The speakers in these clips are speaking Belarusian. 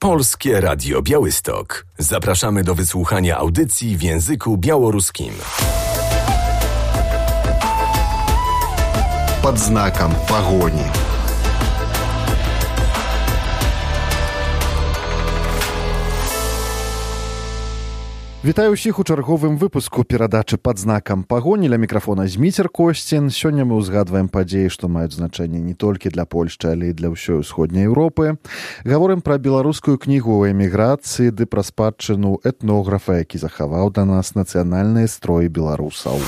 Polskie Radio Białystok. Zapraszamy do wysłuchania audycji w języku białoruskim. Под знаком погони. Вітаю ўсіх у чарговым выпуску перадачы «Пад знакам пагоні». Ля мікрафона Зміцер Косцін. Сёння мы ўзгадваем падзеі, што маюць значэнне не толькі для Польшчы, але і для ўсёй усходняй Еўропы. Гаворым пра беларускую кнігу ў эміграцыі ды пра спадчыну этнографа, які захаваў да нас нацыянальныя строі беларусаў.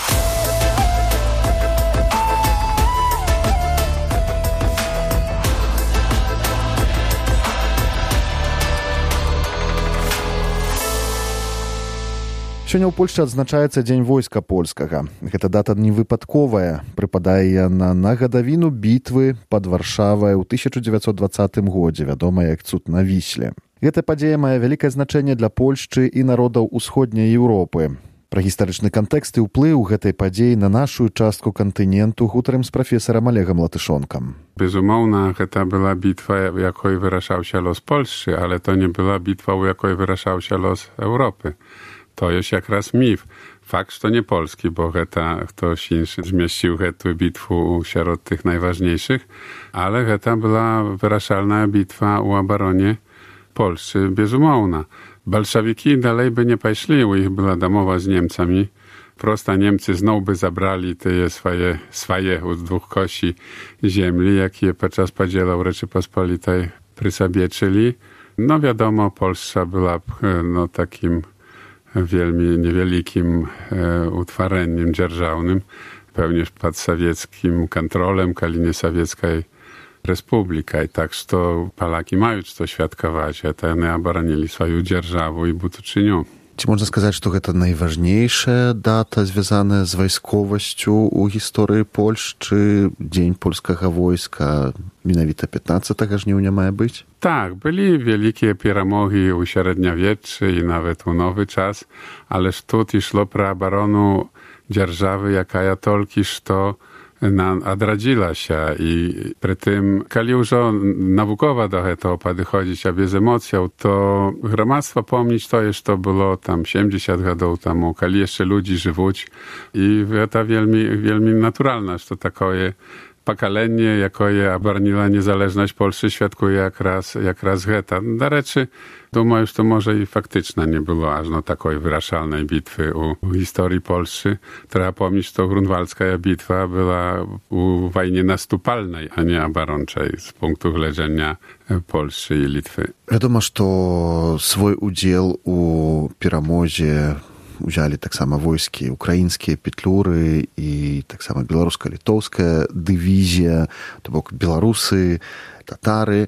Сёння ў Польшчы адзначаецца Дзень войска польскага. Гэта дата невыпадковая. Прыпадае яна на гадавіну бітвы пад Варшавай ў 1920 годзе, вядомая як цуд на Вісле. Гэта падзея мае вялікае значэнне для Польшчы і народаў усходняй Еўропы. Пра гістарычны кантэкст і ўплыў гэтай падзеі на нашу частку кантыненту гутарым з прафесарам Олегам Латышонкам. Безумоўна, гэта была бітва, у якой вырашаўся лос Польшчы, але то не была бітва, у якой вырашаўся лос Еўропы. To jest jakraz mif. Fakt, że to nie polski, bo ktoś inny zmieścił tę bitwę wśród tych najważniejszych, ale to była wyrażalna bitwa u obronie Polski, bezumowna. Bolszewiki dalej by nie poszli, u ich była domowa z Niemcami. Prosta Niemcy znowu by zabrali te swoje z dwóch kości ziemi, jakie podczas podziału Rzeczypospolitej przy sobie czyli. No wiadomo, Polska była takim niewielkim utwareniem dzierżawnym, pełnież pod sowieckim kontrolem, kalinie sowieckiej republiki. Tak, że Polaki mają co świadkować, a to one obronili swoją dzierżawę i to czynią. Ці можна сказаць, што гэта найважнейшая дата, звязаная з вайсковасцю ў гісторыі Польшчы, Дзень польскага войска, менавіта 15 жніўня мае быць? Tak, byli wielkie перемоги u średniowieczu i nawet u nowy czas, ależ tu szło pro obronu dzierżawy, jaka ja tolki, że odradziła się i przy tym, kiedy już naukowo do tego podchodzić, a bez emocją, to gromadztwo pomnieć to jest, to było tam 70 lat temu, kiedy jeszcze ludzi żywać i to wielmi naturalne, że to takie pokolenie, jakie obroniło niezależność Polski, świadkuje jak raz geta. Do rzeczy, думаю, że to może i faktycznie nie było aż takiej wyrażalnej bitwy u historii Polski. Trzeba pomnieć, że grunwaldzka bitwa była u wojnie nastupalnej, a nie obronczej z punktu widzenia Polski i Litwy. Wiadomo, że swój udział u перамозе узялі таксама войскі украінскія петлюры і таксама беларуска-літоўская дывізія, то бок беларусы, татары.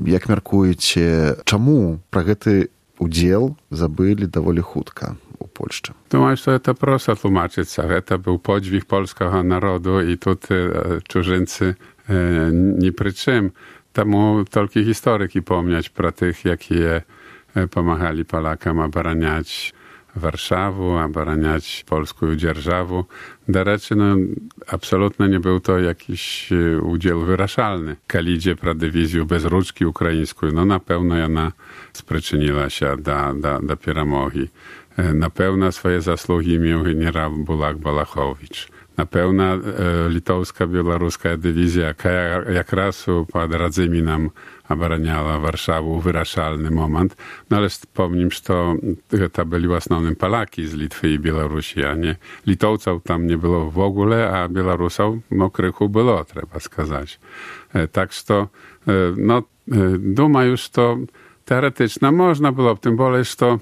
Як мяркуеце, чаму пра гэты удзел забылі даволі хутка у Польшчы? Думаю, że to prosto tłumaczyć. To był podźwig polskiego narodu i tutaj cudzyńcy nie przy czym. Temu tylko historyki pomnieć pro tych, jakie pomagali Polakom obraniać Warszawę, obraniać polską dzierżawę. Do rzeczy, absolutnie nie był to jakiś udział wyrażalny. Kalidzie pro dywizję bezruczki ukraińską, na pewno ona spriczyniła się do перемоги. Na pewno swoje zasługi miał generał Bulak Balachowicz. Na pewno litowska, białoruska dywizja, jak raz pod Radzymi nam obraniała Warszawę w wyrażalny moment. No ale wspomnę, że to byli основnym Polaki z Litwy i Białorusi, a nie Litowców tam nie było w ogóle, a Białorusów krychu było, trzeba сказać. Tak, że думаю, że teoretycznie można było, tym bardziej, że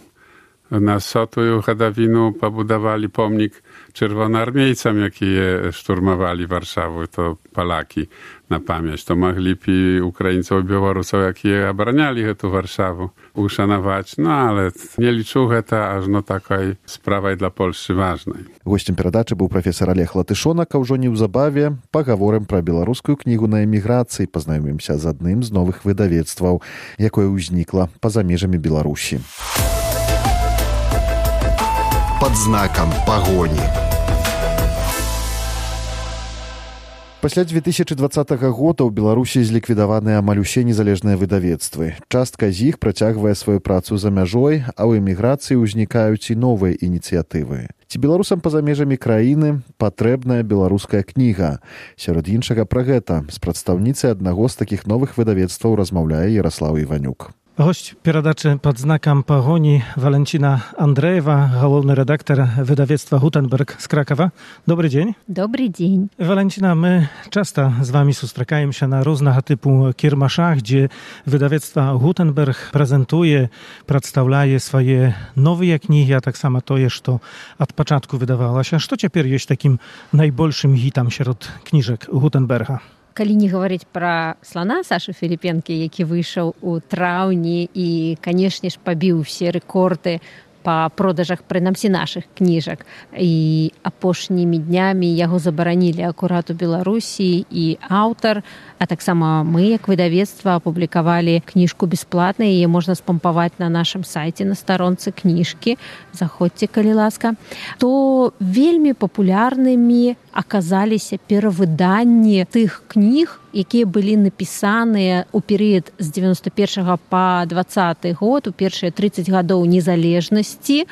na Sotuju Hadawinu pobudowali pomnik czerwonoarmiejcom, jakie szturmowali Warszawę, to Polaki na pamięć. To mogli Ukraińców i Białorusów, jakie obraniali tę Warszawę, uszanować. No ale nie liczył to, aż takiej sprawy dla Polski ważnej. Gościem перадачы быў прафесар Олег Латышонак, а ўжо неўзабаве пагаворым пра беларускую кнігу на эміграцыі, пазнаёмімся з адным з новых выдавецтваў, якое ўзнікла па-за межамі Беларусі. Под знаком погони. Пасля 2020 года ў Беларусі зліквідаваныя амаль усе незалежныя выдавецтвы. Частка з іх працягвае сваю працу за мяжой, а ў эміграцыі ўзнікаюць і новыя ініцыятывы. Ці беларусам па-за межамі краіны патрэбная беларуская кніга? Сярод іншага пра гэта з прадстаўніцай аднаго з такіх новых выдавецтваў размаўляе Ярослаў Іванюк. Gość перадачы pod znakiem pogoni Walencina Andrejewa, główny redaktor wydawnictwa Gutenberg z Krakowa. Dobry dzień. Dobry dzień. Walencina, my często z wami spotykamy się na różnego typu kiermaszach, gdzie wydawnictwo Gutenberg prezentuje, przedstawia swoje nowe księgi, a tak samo to jest, to od początku wydawało się. Co teraz jest takim największym hitem wśród książek Gutenberga? Калі не гаварыць пра слана Сашы Філіпенкі, які выйшаў у траўні і, канешне ж, пабіў усе рэкорды па продажах, прынамсі, нашых кніжак. І апошнімі днямі яго забаранілі акурат у Беларусі і аўтар, а таксама мы, як выдавецтва, апублікавалі кніжку бясплатна, яе можна спампаваць на нашым сайце, на старонцы кніжкі, заходзьце, калі ласка, то вельмі папулярнымі аказаліся перавыданні тых кніг, якія былі напісаныя ў перыяд з 91 па 20 год, у першыя 30 гадоў незалежнасці.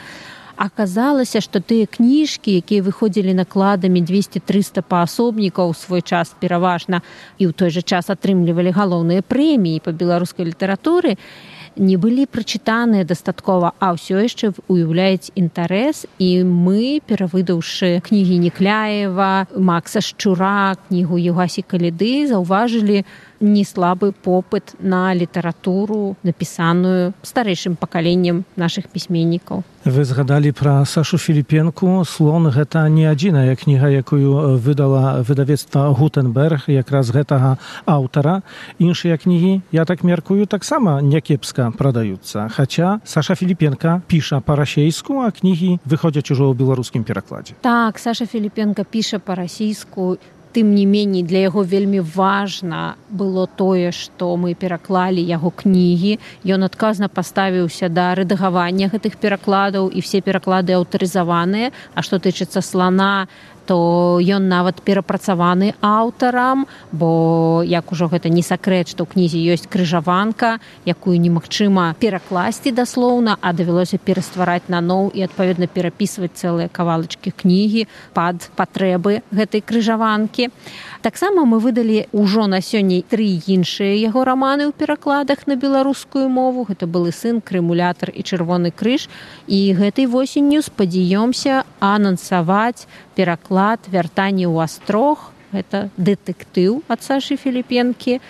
Аказалася, што тыя кніжкі, якія выходзілі накладамі 200-300 паасобнікаў у свой час пераважна і ў той жа час атрымлівалі галоўныя прэміі па беларускай літаратуры, не былі прачытаныя дастаткова, а ўсё яшчэ уяўляюць інтарэс, і мы, перавыдаўшы кнігі Некляева, Макса Шчура, кнігу Югасі Каліды, заўважылі неслабы попыт на літаратуру, напісаную старэйшым пакаленнем нашых пісьменнікаў. Вы згадалі пра Сашу Філіпенку. «Слон» – гэта не адзіная кніга, якую выдала выдавецтва Гутенберг, якраз гэтага аўтара. Іншыя кнігі, я так мяркую, таксама някепска прадаюцца. Хаця Саша Філіпенка піша па-расейску, а кнігі выходзяць ужо ў беларускім перакладзе. Так, Саша Філіпенка піша па-расійску. Тым не меней, для яго вельмі важна было тое, што мы пераклалі яго кнігі. Ён адказна паставіўся да рэдагавання гэтых перакладаў, і все пераклады аўтарызаваныя. А што тычыцца «Слана», то ён нават перапрацаваны аўтарам, бо, як ужо гэта не сакрэт, што ў кнізе ёсць крыжаванка, якую немагчыма перакласці даслоўна, а давялося пераствараць наноў і, адпаведна, перапісваць цэлыя кавалачкі кнігі пад патрэбы гэтай крыжаванкі. Таксама мы выдалі ўжо на сёння 3 іншыя яго раманы ў перакладах на беларускую мову. Гэта «Былы сын», «Крымулятар» і «Чырвоны крыж». І гэтай восенню спадзяёмся анансаваць пераклад «Вяртанне ў астрог». Гэта дэтэктыў ад Сашы Філіпенкі.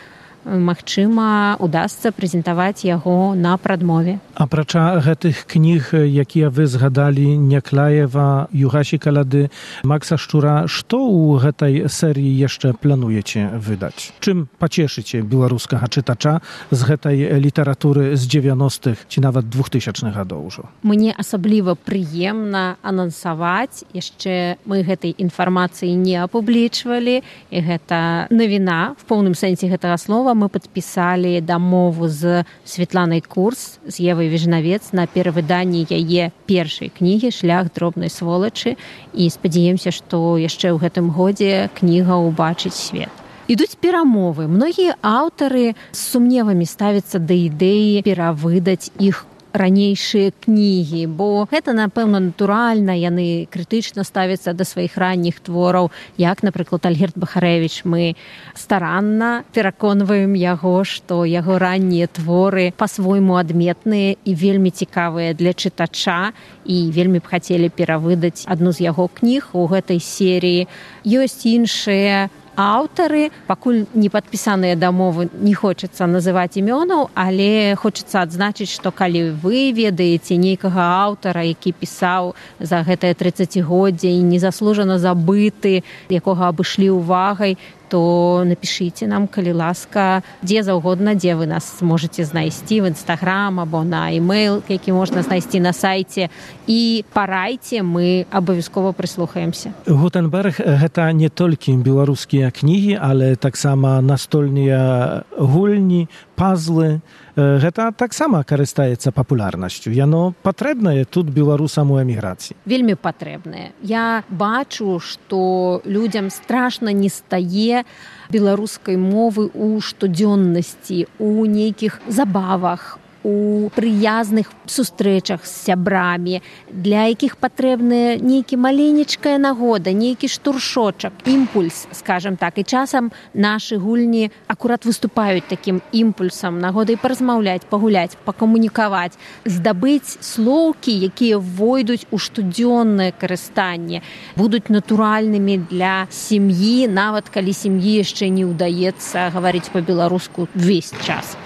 Магчыма, удасца прэзентаваць яго на прадмове. Апрача гэтых кніг, якія вы згадалі, Некляева, Югасі Каліды, Макса Шчура, што ў гэтай серыі яшчэ плануеце выдаць? Чым пацешыце беларускага чытача з гэтай літаратуры з 90-х ці нават 2000-х гадоў ужо? Мне асабліва прыемна анансаваць. Яшчэ мы гэтай інфармацыі не апублічвалі, і гэта навіна в поўным сэнсе гэтага слова. Мы падпісалі дамову з Светланай Курс, з Евай Віжнавец на перавыданні яе першай кнігі «Шлях дробнай сволачы», і спадзяемся, што яшчэ ў гэтым годзе кніга ўбачыць свет. Ідуць перамовы. Многія аўтары з сумневамі ставяцца да ідэі перавыдаць іх ранейшыя кнігі, бо гэта, напэўна, натуральна, яны крытычна ставяцца да сваіх ранніх твораў, як, напрыклад, Альгерд Бахарэвіч. Мы старанна пераконваем яго, што яго раннія творы па-свойму адметныя і вельмі цікавыя для чытача, і вельмі б хацелі перавыдаць адну з яго кніг у гэтай серыі. Ёсць іншыя аўтары, пакуль не падпісаныя дамовы, не хочацца называць імёнаў, але хочацца адзначыць, што калі вы ведаеце нейкага аўтара, які пісаў за гэтае 30-годдзе і незаслужана забыты, якога абышлі ўвагай, то напішыце нам, калі ласка, дзе заўгодна, дзе вы нас можаце знайсці, в Інстаграм або на e-mail, які можна знайсці на сайце, і парайце, мы абавязкова прыслухаемся. Гутенберг – гэта не толькі беларускія кнігі, але таксама настольныя гульні, пазлы. Гэта таксама карыстаецца папулярнасцю. Яно патрэбнае тут беларусам у эміграцыі. Вельмі патрэбнае. Я бачу, што людзям страшна не стае беларускай мовы ў штодзённасці, у нейкіх забавах, у прыязных сустрэчах з сябрамі, для якіх патрэбная нейкі маленечкая нагода, нейкі штуршочак, імпульс, скажем так. І часам нашы гульні акурат выступаюць такім імпульсам, нагодай паразмаўляць, пагуляць, пакамунікаваць, здабыць слоўкі, якія войдуць у штодзённае карыстанне, будуць натуральнымі для сям'і, нават калі сям'і яшчэ не ўдаецца гаварыць па-беларуску ўвесь час.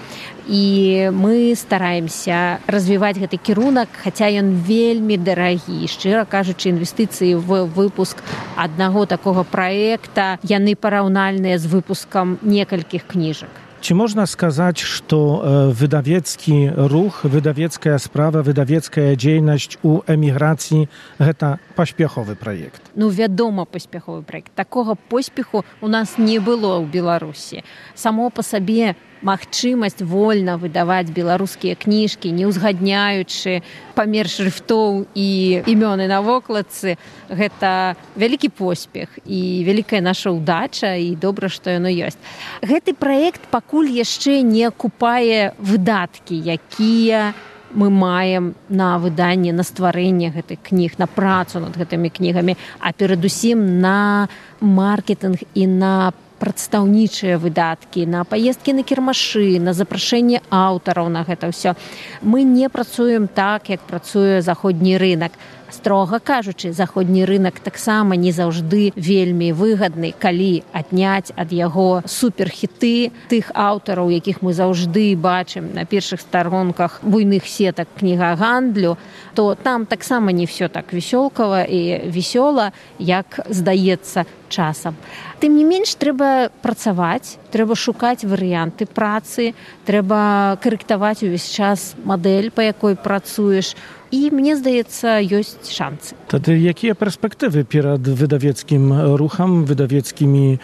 І мы стараемся развіваць гэты кірунак, хаця ён вельмі дарагі. Шчыра кажучы, інвестыцыі в выпуск аднаго такога праекта, яны параўнальныя з выпускам некалькіх кніжак. Ці можна сказаць, што выдавецкі рух, выдавецкая справа, выдавецкая дзейнасць у эміграцыі гэта паспяховы праект? Ну, вядома, паспяховы праект. Такога поспеху у нас не было ў Беларусі. Само па сабе магчымасць вольна выдаваць беларускія кніжкі, не ўзгадняючы памер шрыфтоў і імёны на вокладцы, гэта вялікі поспех і вялікая наша ўдача, і добра, што яно ёсць. Гэты праект пакуль яшчэ не акупае выдаткі, якія мы маем на выданне, на стварэнне гэтых кніг, на працу над гэтымі кнігамі, а перадусім на маркетинг і на прадстаўнічыя выдаткі, на паездкі на кірмашы, на запрашэнне аўтараў на гэта ўсё. Мы не працуем так, як працуе заходні рынак. Строга кажучы, заходні рынак таксама не заўжды вельмі выгадны, калі адняць ад яго суперхіты тых аўтараў, якіх мы заўжды бачым на першых старонках буйных сетак кнігагандлю, то там таксама не все так весёлкава і весёла, як здаецца часам. Тым не менш, трэба працаваць, трэба шукаць варыянты працы, трэба карэктаваць увесь час мадэль, па якой працуеш. І, мне здаецца, ёсць шансы. Тады якія перспектывы перад выдавецкім рухам, выдавецтвамі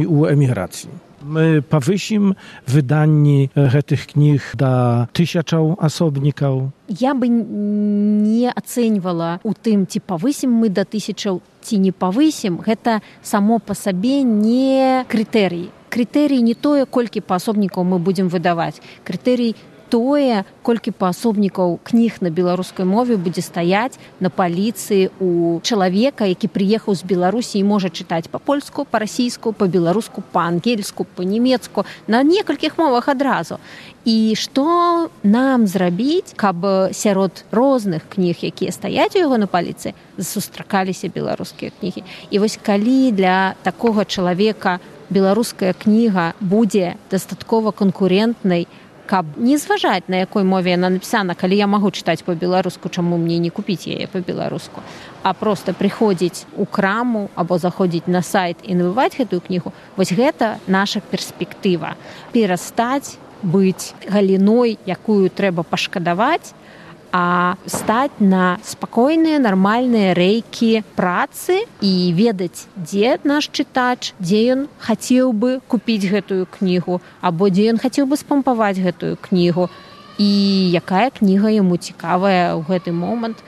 ў эміграцыі? Мы павысім выданні гэтых кніг да тысячаў асобнікаў? Я бы не ацэньвала у тым, ці павысім мы да тысячаў, ці не павысім. Гэта само па сабе не крытэрый. Крытэрый не тое, колькі паасобнікаў мы будзем выдаваць. Крытэрый тое, колькі паасобнікаў кніг на беларускай мове будзе стаяць на паліцыі у чалавека, які прыехаў з Беларусі і можа чытаць па-польску, па-расійску, па-беларуску, па-ангельску, па-нямецку, на некалькіх мовах адразу. І што нам зрабіць, каб сярод розных кніг, якія стаяць у яго на паліцы, сустракаліся беларускія кнігі. І вось калі для такога чалавека беларуская кніга будзе дастаткова канкурентнай, каб не зважаць, на якой мове яна напісана, калі я магу чытаць па-беларуску, чаму мне не купіць яе па-беларуску, а проста прыходзіць у краму або заходзіць на сайт і набываць гэтую кнігу, вось гэта наша перспектыва. Перастаць быць галіной, якую трэба пашкадаваць, а стаць на спакойныя, нармальныя рэйкі працы і ведаць, дзе наш чытач, дзе ён хацеў бы купіць гэтую кнігу, або дзе ён хацеў бы спампаваць гэтую кнігу, і якая кніга яму цікавая ў гэты момант.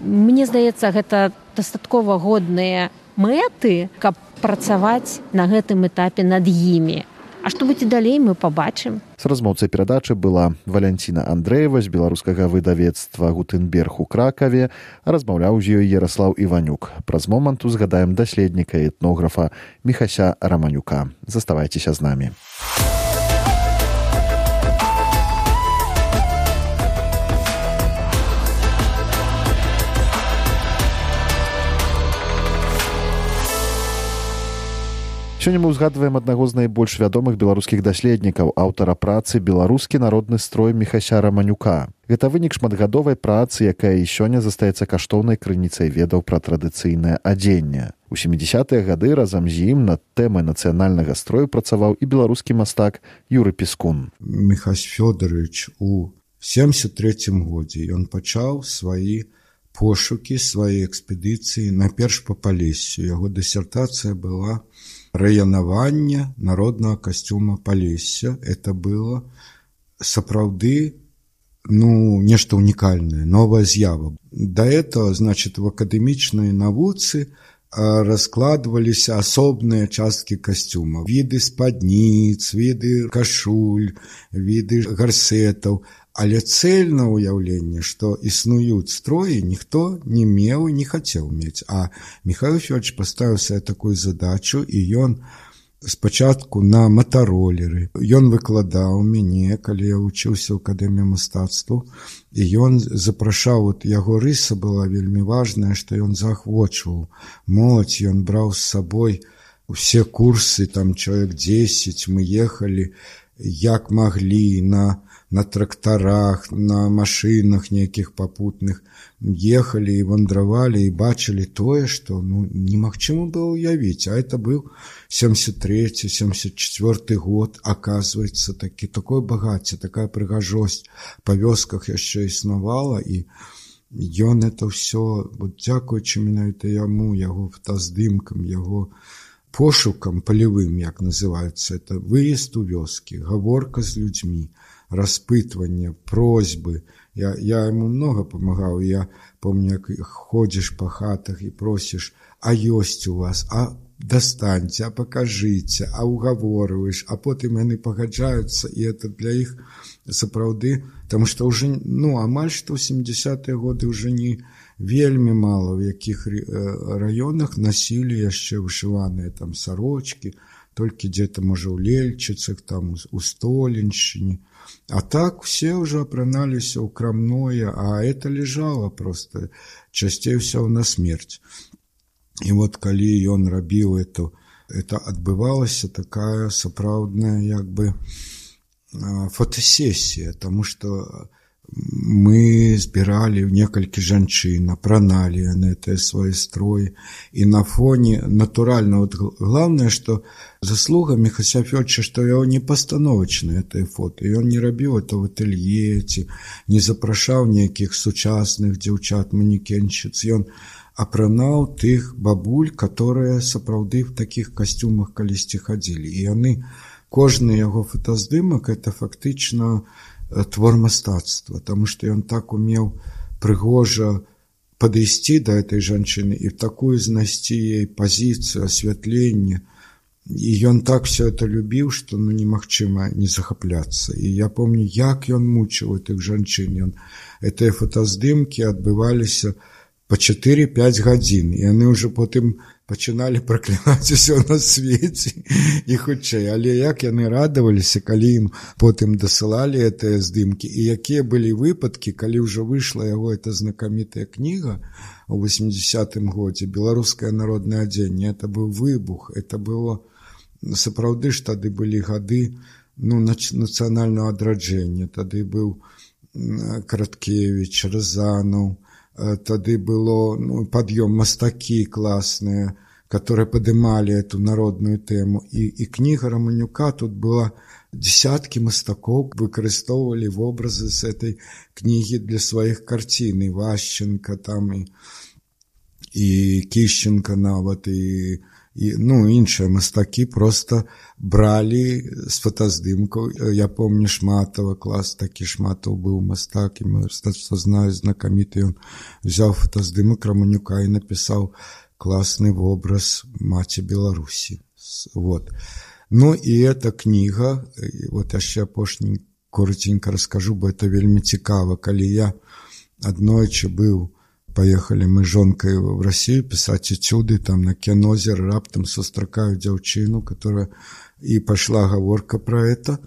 Мне здаецца, гэта дастаткова годныя мэты, каб працаваць на гэтым этапе над імі. А што будзе далей, мы пабачым. З размоўцай перадачы была Валянціна Андрэева з беларускага выдавецтва «Гутенберг» у Кракаве, а размаўляў з ёй Яраслаў Іванюк. Праз момант узгадаем даследніка і этнографа Міхася Раманюка. Заставайцеся з намі. Сёння мы ўзгадваем аднаго з найбольш вядомых беларускіх даследнікаў, аўтара працы «Беларускі народны строй» Міхася Раманюка. Гэта вынік шматгадовай працы, якая і сёння застаецца каштоўнай крыніцай ведаў пра традыцыйнае адзенне. У 70-е гады разам з ім над тэмай нацыянальнага строю працаваў і беларускі мастак Юры Піскун. Міхась Фёдорович у 73-м годзе ён пачаў свае пошукі, свае экспедыцыі найперш па Палессю. Яго дысертацыя была праянаванне народнага касцюма Палесся. Это было сапраўды нешта унікальнае, новая з'ява. До этого, значит, в акадэмічнай навуцы раскладываліся асобныя часткі касцюма. Віды спадніц, віды кашуль, віды гарсетаў. Але цельна ўяўленне, што існуюць строі, ніхто не меў і не хацеў мець. А Михаил Фёдорович паставіў сабе такую задачу, і ён спачатку на матаролеры. Ён выкладаў мяне, калі я вучыўся ў акадэміі мастацтваў, і ён запрашаў, яго рыса была вельмі важная, што ён заахвочваў моладзь, ён браў з сабой усе курсы, там чалавек 10, мы ехалі як маглі на трактарах, на машынах нейкіх папутных, ехалі і вандравалі і бачылі тое, што немагчыма было ўявіць. А это быў 73-74 год, оказывается, такое багацце, такая прыгажосць па вёсках яшчэ існавала, і ён это ўсё, дзякуючы менавіта яму, яго фотаздымкам, яго пошукам палевым, як называецца, это выезд у вёскі, гаворка з людзьмі, распытванне, просьбы. Я ему много помогал. Я помню, как ходишь по хатах и просишь, а есть у вас, а достаньте, а покажите, а уговариваешь, а потом они погоджаются, и это для их сапраўды, потому что уже, амаль что в 70-е годы уже не вельмі мало в якіх районах носили яшчэ вышываныя там сорочки, только где-то, можа, у Лельчицах, там у Столенщине. А так все уже апраналіся ў крамное, а это лежало просто часцей всего на смерть. И вот калі ён рабіў это адбывалася такая сапраўдная як бы фотосессия, потому что мы збіралі некалькі жанчын, апраналі яны гэтыя свае строі, і на фоне натуральна, главное, что заслуга Михася Фёдоровича, что яго не пастановачнае гэтае фото, і ён не рабіў это в ателье, ці не запрашаў нейкіх сучасных дзяўчат, манекеншчыц, ён апранаў тых бабуль, которые сапраўды в такіх касцюмах калісьці хадзілі, і яны, кожны яго фотаздымак, это фактычна твор мастацтва, потому что ён так умеў прыгожа падысці да этой жанчыны і такую знайсці ей пазіцыю, асвятленне. І ён так все это любіў, што немагчыма не захапляцца. І я помню, як ён мучыў этих жанчын. Гэтыя фотаздымкі адбываліся по 4-5 гадзін, і яны ўжо потым пачыналі праклінаць усё на свеце і хутчэй. Але як яны радаваліся, калі ім потым дасылалі гэтыя здымкі, і якія былі выпадкі, калі ўжо выйшла яго эта знакамітая кніга у 80-м годзе «Беларускае народнае адзенне». Это быў выбух, это было сапраўды ж тады былі гады нацыянальнага адраджэння, тады быў Караткевіч, Рязанов, тады было падъём мастакі класныя, которые падымалі эту народную тэму. І кніга Романюка, тут была десятки мастакоў, выкарыстоўвалі вобразы з этой кнігі для сваіх карцін. І Ващенко там, і Кіщенко нават, і іншыя мастакі просто бралі з фотаздымкаў. Я помню Шматова, клас такі, Шматов быў мастак, і мастацтва знаю, знакаміты. Ён взяў фотаздымак Романюка і напісаў класны вобраз маці Беларусі. Вот. І эта кніга, вот яшчэ апошні коротенька раскажу, бо это вельмі цікава. Калі я аднойчы поехали мы с жонкой в Россию писать этюды, там на Кенозер, раптом сустракаю дзяўчыну, которая, и пошла гаворка про это,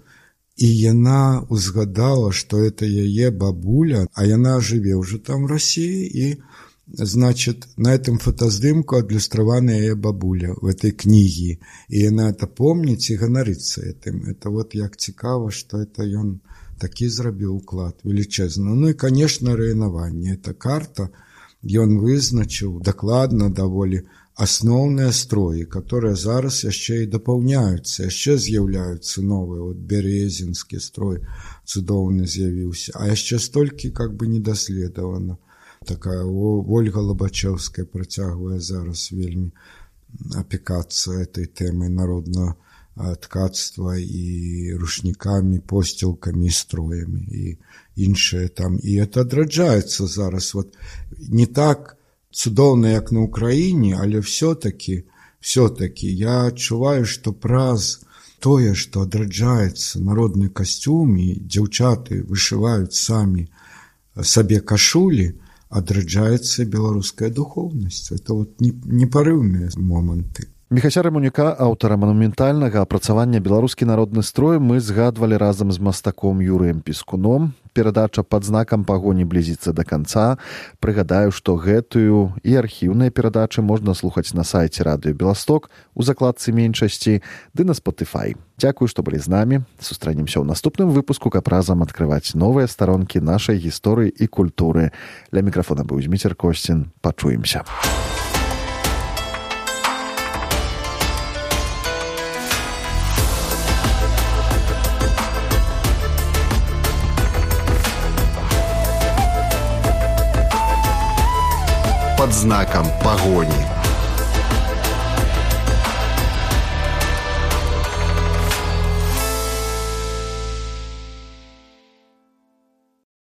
и яна узгадала, что это яе бабуля, а яна жыве уже там в России, и, значит, на этом фотоздымку адлюстравана яе бабуля в этой книге, и яна это помніць и ганарыцца этим. Это вот як цікава, что это ён такі зрабіў уклад величезны. И, конечно, районаванне. Это карта, ён вызначыў дакладна даволі асноўныя строі, которые зараз яшчэ і дапаўняюцца, яшчэ з'яўляюцца новыя. Вот Березінскі строй цудоўны з'явіўся, а яшчэ столькі как бы недаследавана. Такая Ольга Лабачевская працягвае зараз вельмі опекаться этой темой народного ткацтва и рушниками, постелками, и строями, и іншае там. И это адраджаецца зараз. Вот не так цудоўна, як на Украине, але все-таки я адчуваю, что праз тое, что адраджаецца народны касцюм, і дзяўчаты вышываюць самі сабе кашулі, адраджаецца беларуская духовнасць. Это вот непарыўныя моманты. Міхася Раманюка, аўтара манументальнага апрацавання «Беларускі народны строй», мы згадвалі разам з мастаком Юрыем Піскуном. Перадача «Пад знакам пагоні» блізіцца да канца. Прыгадаю, што гэтую і архіўныя перадачы можна слухаць на сайце Радыё Беласток у закладцы меншасці ды на Spotify. Дзякую, што былі з намі. Сустрэнемся ў наступным выпуску, каб разам адкрываць новыя старонкі нашай гісторыі і культуры. Ля мікрафона быў Зміцер Косцін. Пачуемся. «Под знаком погони».